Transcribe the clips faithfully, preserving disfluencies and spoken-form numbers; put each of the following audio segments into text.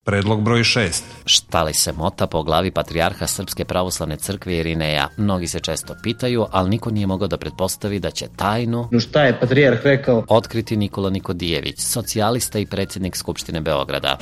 Predlog broj šest. Šta li se mota po glavi patrijarha Srpske pravoslavne crkve Irineja? Mnogi se često pitaju, ali niko nije mogao da pretpostavi da će tajnu No šta je patrijarh rekao? otkriti Nikola Nikodijević, socijalista i predsjednik Skupštine Beograda.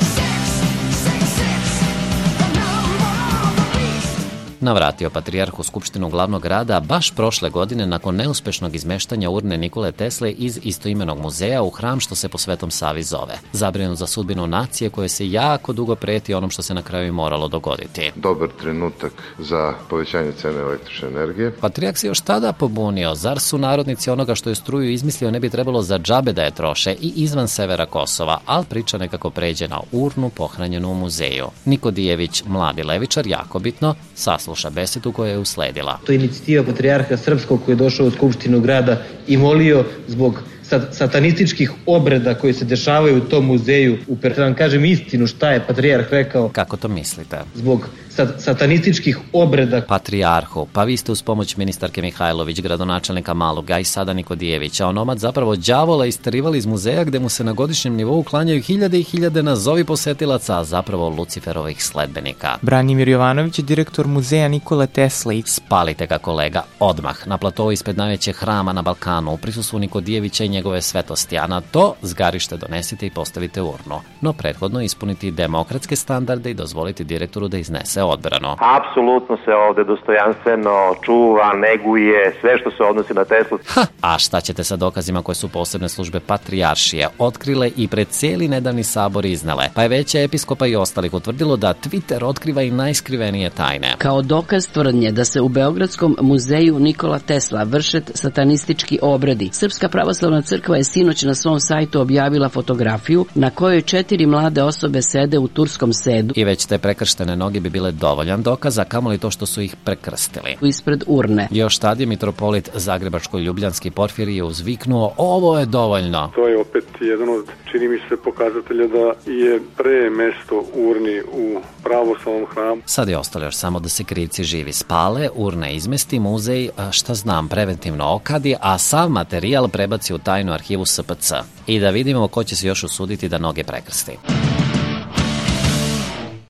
Navratio patrijarh u Skupštinu glavnog grada baš prošle godine nakon neuspešnog izmeštanja urne Nikole Tesle iz istoimenog muzeja u hram što se po Svetom Savi zove. Zabrinut za sudbinu nacije koje se jako dugo preti onom što se na kraju i moralo dogoditi. Dobar trenutak za povećanje cene električne energije. Patrijarh se još tada pobunio, zar su narodnici onoga što je struju izmislio ne bi trebalo za džabe da je troše i izvan severa Kosova, ali priča nekako pređe na urnu pohranjenu u muzeju. Nikodijević, mladi levičar, jako bitno, sasluša besedu koja je usledila. To je inicijativa patrijarha Srpskog koji je došao u Skupštinu grada i molio zbog satanističkih obreda koji se dešavaju u tom muzeju. Da vam kažem istinu šta je patrijarh rekao. Kako to mislite? Zbog satanističkih obreda. Patrijarhu, pa vi ste uz pomoć ministarke Mihajlović, gradonačelnika Maluga i sada Nikodijevića, onomad zapravo đavola isterivali iz muzeja gde mu se na godišnjem nivou klanjaju hiljade i hiljade nazovi posetilaca, a zapravo Luciferovih sledbenika. Branimir Jovanović je direktor muzeja Nikole Tesle. Spalite ga, kolega, odmah, na platovu ispred najvećeg hrama na Balkanu, u prisustvu Nikodijevića i njegove svetosti, a na to zgarište donesite i postavite urnu. No prethodno ispuniti demokratske standarde i dozvoliti direktoru da iznese odbranu. Apsolutno se ovde dostojanstveno čuva, neguje sve što se odnosi na Teslu. Ha, a šta ćete sa dokazima koje su posebne službe patrijaršije otkrile i pred cijeli nedavni sabor iznele? Pa je veća episkopa i ostalih utvrdilo da Twitter otkriva i najskrivenije tajne. Kao dokaz tvrdnje da se u Beogradskom muzeju Nikola Tesla vrše satanistički obredi, Srpska pravoslavna crkva je sinoć na svom sajtu objavila fotografiju na kojoj četiri mlade osobe sede u turskom sedu. I već te prekrštene noge bi bile dovoljan dokaz, a kamoli to što su ih prekrstili. Ispred urne. Još tad je mitropolit Zagrebačko-Ljubljanski Porfirije uzviknuo, ovo je dovoljno. To je opet jedan od, čini mi se, pokazatelja da je pre mesto urni u pravoslavnom hramu. Sad je ostalo još samo da se krivci živi spale, urne izmesti, muzej, šta znam, preventivno okadi, a sav materijal prebaci u tajnu arhivu S P C. I da vidimo ko će se još usuditi da noge prekrsti.